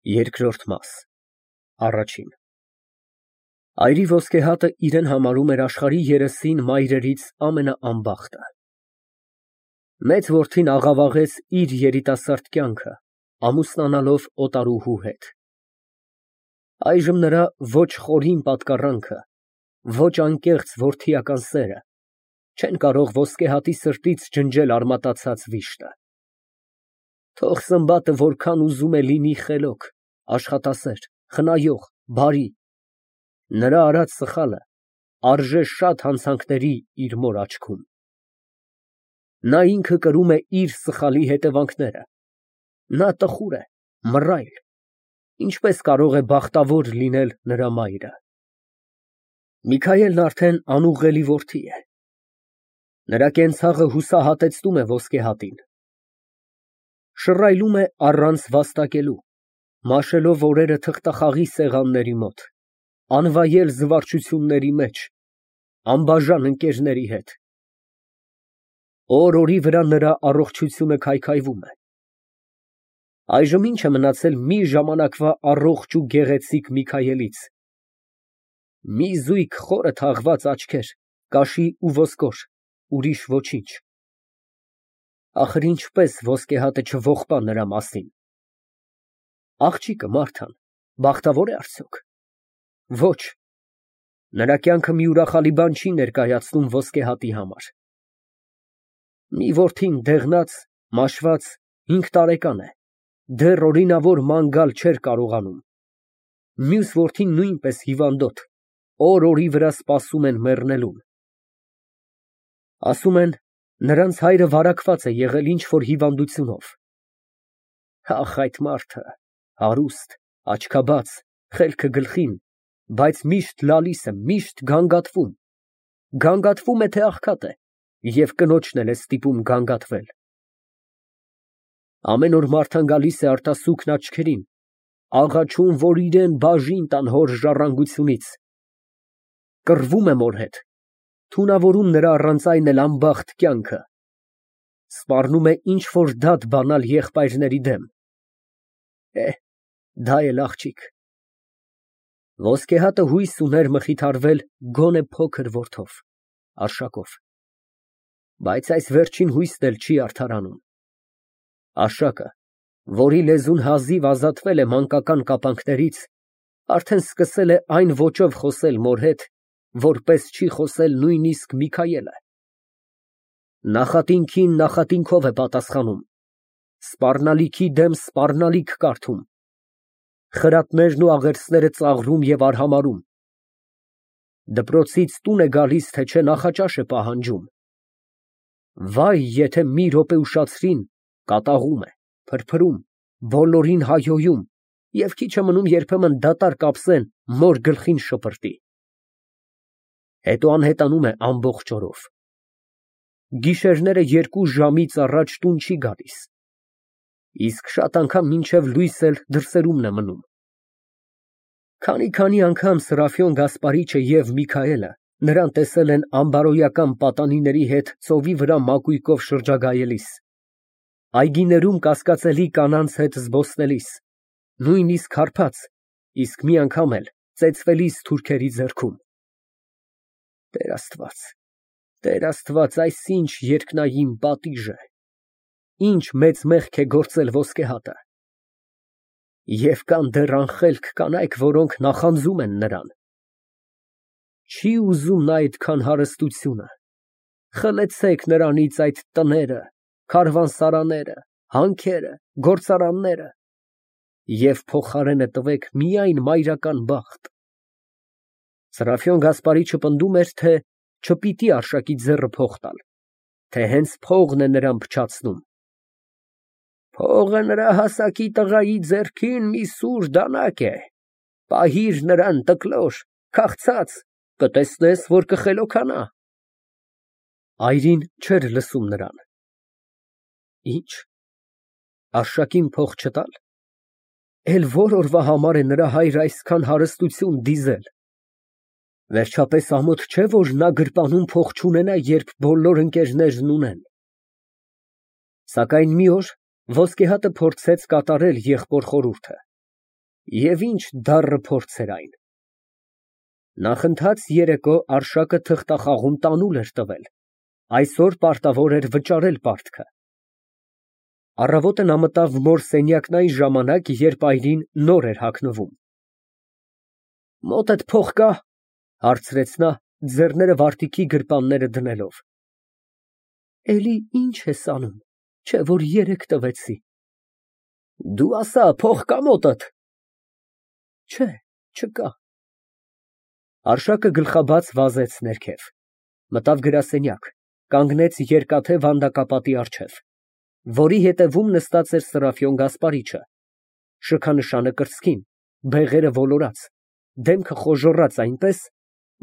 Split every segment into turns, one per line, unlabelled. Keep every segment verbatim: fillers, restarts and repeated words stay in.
Երկրորդ մաս Առաջին Այրի ոսկե հատը իրեն համարում էր աշխարհի երեսին մայրերից ամենաանբախտը։ Մեծ որդին աղավաղեց իր երիտասարդ կյանքը, ամուսնանալով օտարուհու հետ։ Այժմ նրա ոչ խորին պատկառանքը, ոչ անկեղծ որդիական սերը չեն կարող ոսկե հատի սրտից ջնջել արմատացած վիշտը։ Թող Սմբատը որքան ուզում է լինի խելոք, աշխատասեր, խնայող, բարի, նրա արած սխալը արժե շատ հանցանքների իր մոր աչքում։ Նա ինքը կրում է իր սխալի հետևանքները, նա տխուր է, մռայլ, ինչպես կարող է բախտավոր լինել նրա մայրը։ Միքայելն արդեն անուղղելի որդի է։ Նրա կենցաղը հուսահատեցնում է ոսկե հատին։ Շռայլում է առանց վաստակելու, մաշելով օրերը թղթախաղի սեղանների մոտ, անվայել զվարճությունների մեջ, անբաժան ընկերների հետ։ Օր֊օրի վրա նրա առողջությունը քայքայվում է։ Այժմ ի՞նչ է մնացել մի ժամանակվա առողջ ու գեղեցիկ Միքայելից։ Մի զույգ խորը թաղված աչքեր, կաշի ու ոսկոր, ուրիշ ոչինչ։ Ախր ինչպես ոսկե հատը չողբա նրա մասին։ Աղջիկը Մարթան բախտավո՞ր է արդյոք։ Ոչ, նրա կյանքը մի ուրախալի բան չի ներկայացնում ոսկե հատի համար։ Մի որդին դեղնած, մաշված, հինգ տարեկան է, դեռ օրինավոր ման գալ չէր կարողանում։ Մյուս որդին նույնպես հիվանդոտ, օր֊օրի վրա սպասում են մեռնելուն։ Ասում են, նրանց հայրը վարակված է եղել ինչ֊որ հիվանդությունով։ Ախ, այդ մարդը հարուստ, աչքաբաց, խելքը գլխին, բայց միշտ լալիս է, միշտ գանգատվում։ Գանգատվում է, թե աղքատ է, և կնոջն էլ է ստիպում գանգատվել։ Ամեն օր Մարթան գալիս է արտասուքն աչքերին, աղաչում, որ իրան բաժին տան հոր ժառանգությունից։ Կռվում է մոր հետ, թունավորում նրա առանց այն էլ անբախտ կյանքը, սպառնում է ինչ֊որ դատ բանալ եղբայրների դեմ։ Էհ, դա էլ աղջիկ։ Ոսկե հատը հույս ուներ մխիթարվել գոնե փոքր որդով, Արշակով, բայց այս վերջին հույսն էլ չի արդարանում։ Արշակը, որի լեզուն հազիվ ազատվել է մանկական կապանքներից, արդեն սկսել է այն ոճով խոսել մոր հետ, որպես չի խոսել նույնիսկ Միքայելը։ Նախատինքին նախատինքով է պատասխանում, սպառնալիքի դեմ սպառնալիք կարդում, խրատներն ու աղերսները ծաղրում և արհամարհում։ Դպրոցից տուն է գալիս, թե չէ նախաճաշ է պահանջում։ Վայ, եթե մի րոպե ուշացրին, կատաղում է, փրփրում, բոլորին հայհոյում և քիչ է մնում երբեմն դատարկ ափսեն մոր գլխին շպրտի։ Հետո անհետանում է ամբողջ օրով։ Գիշերները երկու ժամից առաջ տուն չի գալիս, իսկ շատ անգամ մինչև լույս էլ դրսերումն է մնում։ Քանի֊քանի անգամ Սրափիոն Գասպարիչը և Միքայելը նրան տեսել են անբարոյական պատանիների հետ ծովի վրա մակույկով շրջագայելիս, այգիներում կասկածելի կանանց հետ զբոսնելիս, նույնիսկ հարբած, իսկ մի անգամ էլ ծեծվելիս թուրքերի ձեռքում։ Տեր Աստված, Տեր Աստված, այս ինչ երկնային պատիժ է, ինչ մեծ մեղք է գործել ոսկե հատը։ Եվ կան դեռ անխելք կանայք, որոնք նախանձում են նրան։ Չի ուզում նա այդքան հարստությունը։ Խլեցեք նրանից այդ տները, քարավանսարանները, հանքերը, գործարանները և փոխարենը տվեք միայն մայրական բախտ։ Սրափիոն Գասպարիչը պնդում էր, թե չպիտի Արշակի ձեռը փող տալ, թե հենց փողն է նրան փչացնում։ Փողը նրա հասակի տղայի ձեռքին մի սուր դանակ է, պահիր նրան տկլոր, քաղցած, կտեսնես, որ կխելոքանա։ Այրին չէր լսում նրան։ Ի՞նչ, Արշակին փող չտալ։ Էլ ո՞ր օրվա համար է նրա հայրը այսքան հարստություն դիզել։ Վերջապես ամոթ չէ, որ նա գրպանում փող չունենա, երբ բոլոր ընկերներն ունեն։ Սակայն մի օր ոսկե հատը փորձեց կատարել եղբոր խորհուրդը։ Եվ ինչ դառը փորձ էր այն։ Նախընթաց երեկո Արշակը թղթախաղում տանուլ էր տվել, այսօր պարտավոր էր վճարել պարտքը։ Առավոտը նա մտավ մոր սենյակն այն ժամանակ, երբ այրին նոր էր հագնվում։ Մոտդ փող կա՞, հարցրեց նա, ձեռները վարտիքի գրպանները դնելով։ Էլի ինչ ես անում, չէ որ երեկ տվեցի։ Դու ասա, փող կա մոտդ։ Չէ, չկա։ Արշակը գլխաբաց վազեց ներքև, մտավ գրասենյակ, կանգնեց երկաթե վանդակապատի առջև, որի հետևում նստած էր Սրափիոն Գասպարիչը, շքանշանը կրծքին, բեղերը ոլորած, դեմքը խոժոռած այնպես,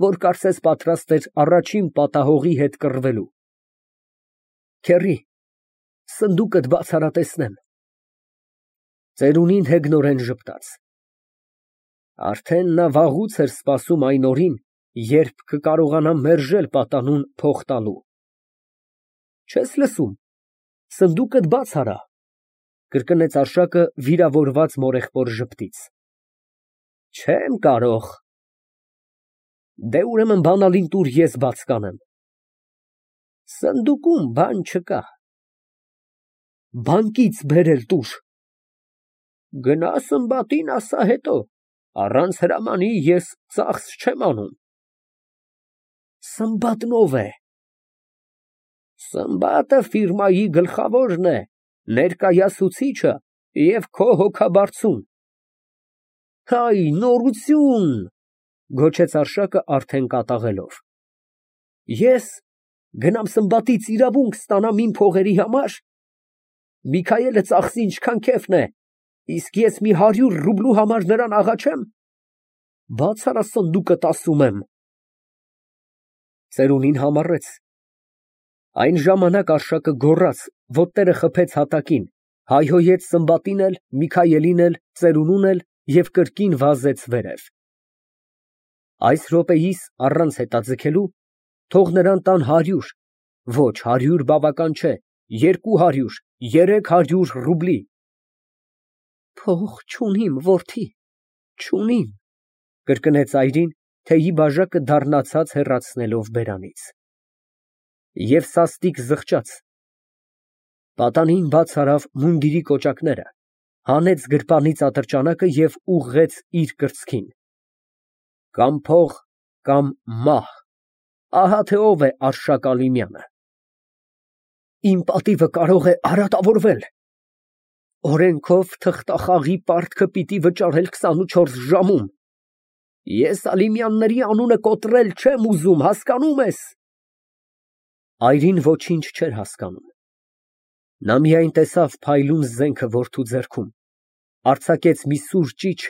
որ կարծես պատրաստ էր առաջին պատահողի հետ կռվելու։ Քեռի, սնդուկդ բաց արա տեսնեմ։ Ծերունին հեգնորեն ժպտաց։ Արդեն նա վաղուց էր սպասում այն օրին, երբ կկարողանա մերժել պատանուն փող տալու։ Չես լսում, սնդուկդ բաց արա, կրկնեց Արշակը վիրավորված մորեղբոր ժպտից։ Չեմ կարող։ Դե ուրեմն բանալին տուր, ես բաց կանեմ։ Սնդուկում բան չկա։ Բանկից բերել տուր։ Գնա Սմբատին ասա հետո, առանց հրամանի ես ծախս չեմ անում։ Սմբատն ով է։ Սմբատը ֆիրմայի գլխավորն է, ներկայացուցիչը և քո հոգաբարձուն։ Հայ, նորություն, գոչեց Արշակը արդեն կատաղելով։ Ես գնամ Սմբատից իրավունք ստանամ իմ փողերի համար։ Միքայելը ծախսի ինչքան քեֆն է, իսկ ես մի հարյուր ռուբլու համար նրան աղաչեմ։ Բաց արա սնդուկդ, ասում եմ։ Ծերունին համառեց։ Այն ժամանակ Արշակը գոռաց, ոտները խփեց հատակին, հայհոյեց Սմբատին էլ, Միքայելին էլ, ծերունուն էլ և կրկին վազեց վերև։ Այս րոպեիս, առանց հետաձգելու, թող նրան տան հարյուր, ոչ, հարյուր բավական չէ, երկու հարյուր, երեք հարյուր ռուբլի։ Փող չունիմ, որդի, չունիմ, կրկնեց այրին, թեյի բաժակը դառնացած հեռացնելով բերանից։ Եվ սաստիկ զղջաց։ Պատանին բաց արավ մունդիրի կոճակները, հանեց գրպանից ատրճանակը և ուղղեց իր կրծքին։ Կամ փող, կամ մահ, ահա թե ով է Արշակ Ալիմյանը։ Իմ պատիվը կարող է արատավորվել։ Օրենքով թղթախաղի պարտքը պիտի վճարել քսանուչորս ժամում։ Ես Ալիմյանների անունը կոտրել չեմ ուզում, հասկանո՞ւմ ես։ Այրին ոչինչ չէր հասկանում։ Նա միայն տեսավ փայլուն զենքը որդու ձեռքում, արձակեց մի սուր ճիչ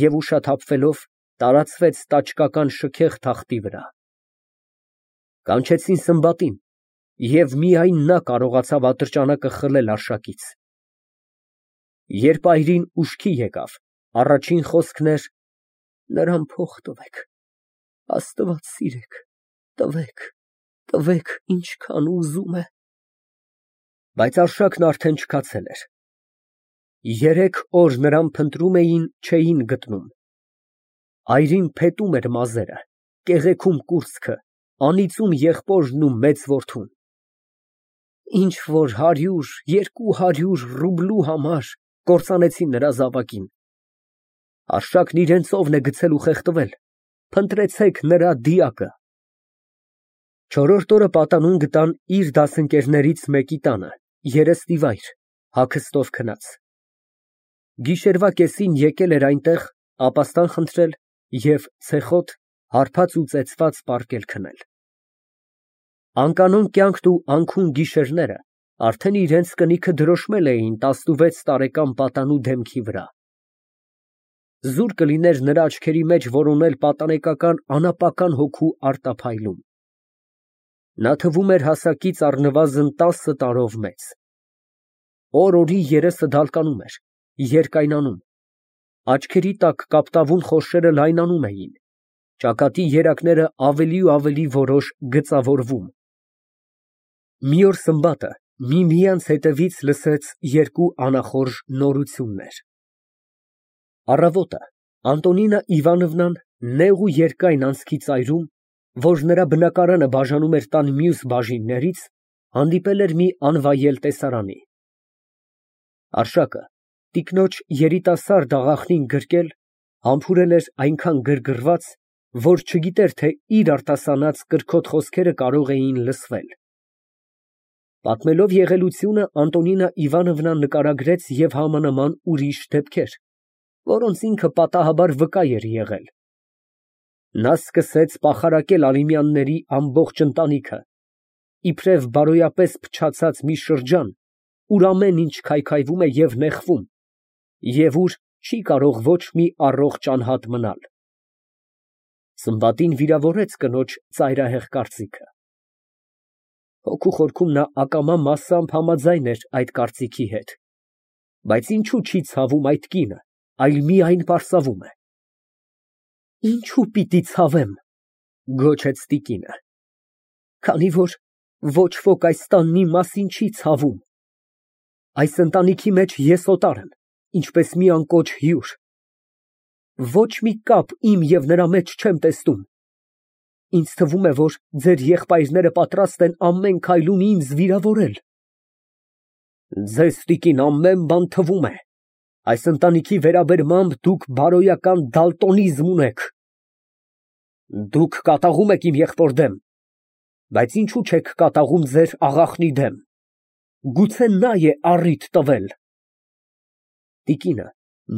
և ուշաթափվելով տարածվեց տաճկական շքեղ թախտի վրա։ Կանչեցին Սմբատին, և միայն նա կարողացավ ատրճանակը խլել Արշակից։ Երբ այրին ուշքի եկավ, առաջին խոսքն էր. նրան փող տվեք, Աստված սիրեք, տվեք, տվեք, ինչքան ուզում է։ Բայց Արշակն արդեն չքացել էր։ Երեք օր նրան փնտրում էին, չէին գտնում։ Այրին փետում էր մազերը, կեղեքում կուրծքը, անիծում եղբորն ու մեծ որդուն։ Ինչ որ հարյուր, երկու հարյուր ռուբլու համար կործանեցին նրա զավակին։ Արշակն իրենց օվն է գցել ու խեղդվել, փնտրեցեք նրա դիակը։ Չորրորդ օրը պատանուն գտան իր դասընկերներից մեկի տանը, երեստիվայր, հագստով քնած։ Գիշերվա կեսին եկել էր այնտեղ ապաստան խնդրել և ցեխոտ, հարբած ու ծեծված պառկել քնել։ Անկանոն կյանքն ու անքուն գիշերները արդեն իրենց կնիքը դրոշմել էին տասնվեց տարեկան պատանու դեմքի վրա։ Զուր կլիներ նրա աչքերի մեջ որոնել պատանեկական անապական հոգու արտափայլում։ Նա թվում էր հասակից առնվազն տասը տարով մեծ։ Օր֊օրի երեսը դալկանում էր, երկայնանում, աչքերի տակ կապտավուն խորշերը լայնանում էին, ճակատի երակները ավելի ու ավելի որոշ գծավորվում։ Մի օր Սմբատը միմյանց հետևից լսեց երկու անախորժ նորություններ։ Առավոտը Անտոնինա Իվանովնան նեղ ու երկայն անցքի ծայրում, որ նրա բնակարանը բաժանում էր տան մյուս բաժիններից, հանդիպել էր մի անվայել տեսարանի։ Արշակը, տիկնոջ երիտասարդ աղախնին գրկել, համբուրել էր այնքան գրգռված, որ չգիտեր, թե իր արտասանած կրքոտ խոսքերը կարող էին լսվել։ Պատմելով եղելությունը, Անտոնինա Իվանովնան նկարագրեց և համանման ուրիշ դեպքեր, որոնց ինքը պատահաբար վկա էր եղել։ Նա սկսեց պախարակել Ալիմյանների ամբողջ ընտանիքը, իբրև բարոյապես փչացած մի շրջան, ուր ամեն ինչ քայքայվում է և նեղվում, և ուր չի կարող ոչ մի առողջ անհատ մնալ։ Սմբատին վիրավորեց կնոջ ծայրահեղ կարծիքը։ Հոգու խորքում նա ակամա մասամբ համաձայն էր այդ կարծիքի հետ, բայց ինչո՞ւ չի ցավում այդ կինը, այլ միայն պարսավում է։ Ինչո՞ւ պիտի ցավեմ, գոչեց տիկինը, քանի որ ոչ ոք այս տանն իմ մասին չի ցավում։ Այս ընտանիքի մեջ ես օտար եմ, ինչպես մի անկոչ հյուր։ Ոչ մի կապ իմ և նրա մեջ չեմ տեսնում։ Ինձ թվում է, որ ձեր եղբայրները պատրաստ են ամեն քայլում ինձ վիրավորել։ Ձեզ, տիկին, ամեն բան թվում է։ Այս ընտանիքի վերաբերմամբ դուք բարոյական դալտոնիզմ ունեք։ Դուք կատաղում եք իմ եղբոր դեմ, բայց ինչո՞ւ չեք կատաղում ձեր աղախնի դեմ։ Գուցե նա է առիթ տվել։ Տիկինը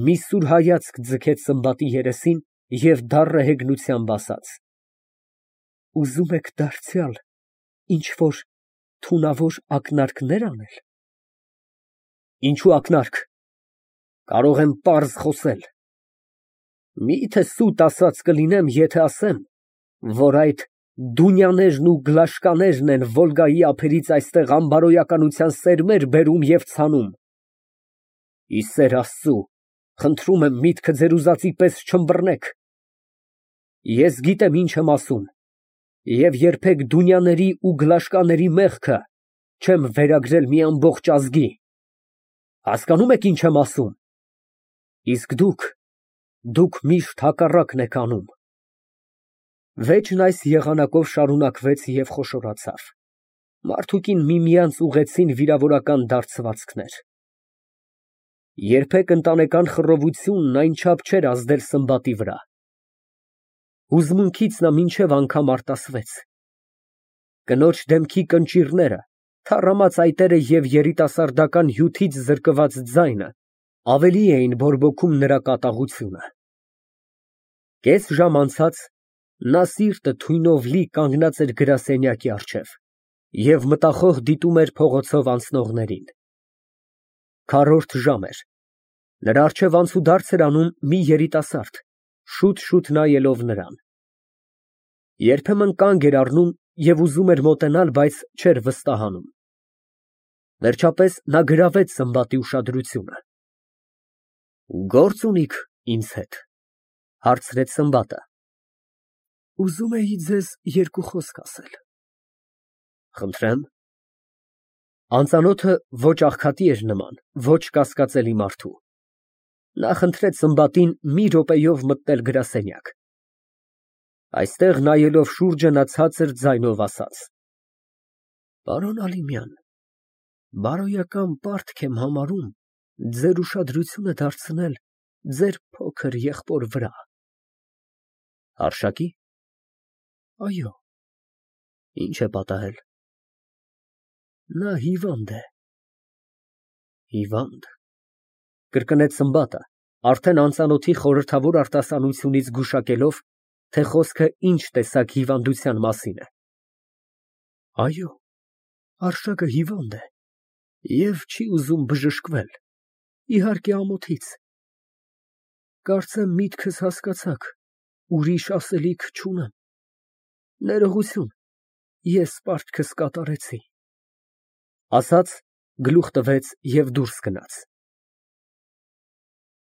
մի սուր հայացք ձգեց Սմբատի երեսին և դառն հեգնությամբ ասաց. Ուզում եք դարձյալ ինչ֊որ թունավոր ակնարկնե՞ր անել։ Ինչո՞ւ ակնարկ, կարող եմ պարզ խոսել։ Մի՞թե սուտ ասած կլինեմ, եթե ասեմ, որ այդ Դունյաներն ու Գլաշկաներն են Վոլգայի ափերից այստեղ անբարոյականության սերմեր բերում և ցանում։ Ի սեր Աստծու, խնդրում եմ, միտքը ձեր ուզածի պես չըմբռնեք։ Ես գիտեմ ինչ եմ ասում և երբեք Դունյաների ու Գլաշկաների մեղքը չեմ վերագրել մի ամբողջ ազգի։ Հասկանում եք ինչ եմ ասում։ Իսկ դուք, դուք միշտ հակառակն եք անում։ Վեճն այս եղանակով շարունակվեց և խոշորացավ։ Մարդուկին միմյանց ուղղեցին վիրավորական դարձվածքներ։ Երբեք ընտանեկան խռովությունն այնչափ չէր ազդել Սմբատի վրա։ Հուզմունքից նա մինչև անգամ արտասվեց։ Կնոջ դեմքի կնճիռները, թառամած այտերը և երիտասարդական հյութից զրկված ձայնը ավելի էին բորբոքում նրա կատաղությունը։ Կես ժամ անցած նա սիրտը թույնով լի կանգնած էր գրասենյակի առջև և մտախոհ դիտում էր փողոցով անցնողներին։ Քառորդ ժամ էր, նրա առջև անցուդարձ էր անում մի երիտասարդ, շուտ֊շուտ նայելով նրան։ Երբեմն կանգ էր առնում և ուզում էր մոտենալ, բայց չէր վստահանում։ Վերջապես նա գրավեց Սմբատի ուշադրությունը։ Գործ ունի՞ք ինձ հետ, հարցրեց Սմբատը։ Ուզում էի ձեզ երկու խոսք ասել։ Խնդրեմ։ Անծանոթը ոչ աղքատի էր նման, ոչ կասկածելի մարդու։ Նա խնդրեց Սմբատին մի րոպեով մտնել գրասենյակ։ Այստեղ նայելով շուրջը, նա ցածր ձայնով ասաց. Պարոն Ալիմյան, բարոյական պարտք եմ համարում ձեր ուշադրությունը դարձնել ձեր փոքր եղբոր վրա։ Արշակի՞։ Այո։ Ինչ է պատահել։ Նա հիվանդ է։ Հիվա՞նդ, կրկնեց Սմբատը, արդեն անծանոթի խորհրդավոր արտասանությունից գուշակելով, թե խոսքը ինչ տեսակ հիվանդության մասին է։ Այո, Արշակը հիվանդ է և չի ուզում բժշկվել, իհարկե ամոթից։ Կարծեմ միտքս հասկացաք, ուրիշ ասելիք չունեմ։ Ներողություն, ես պարտքս կատարեցի։ Ասաց, գլուխ տվեց և դուրս գնաց։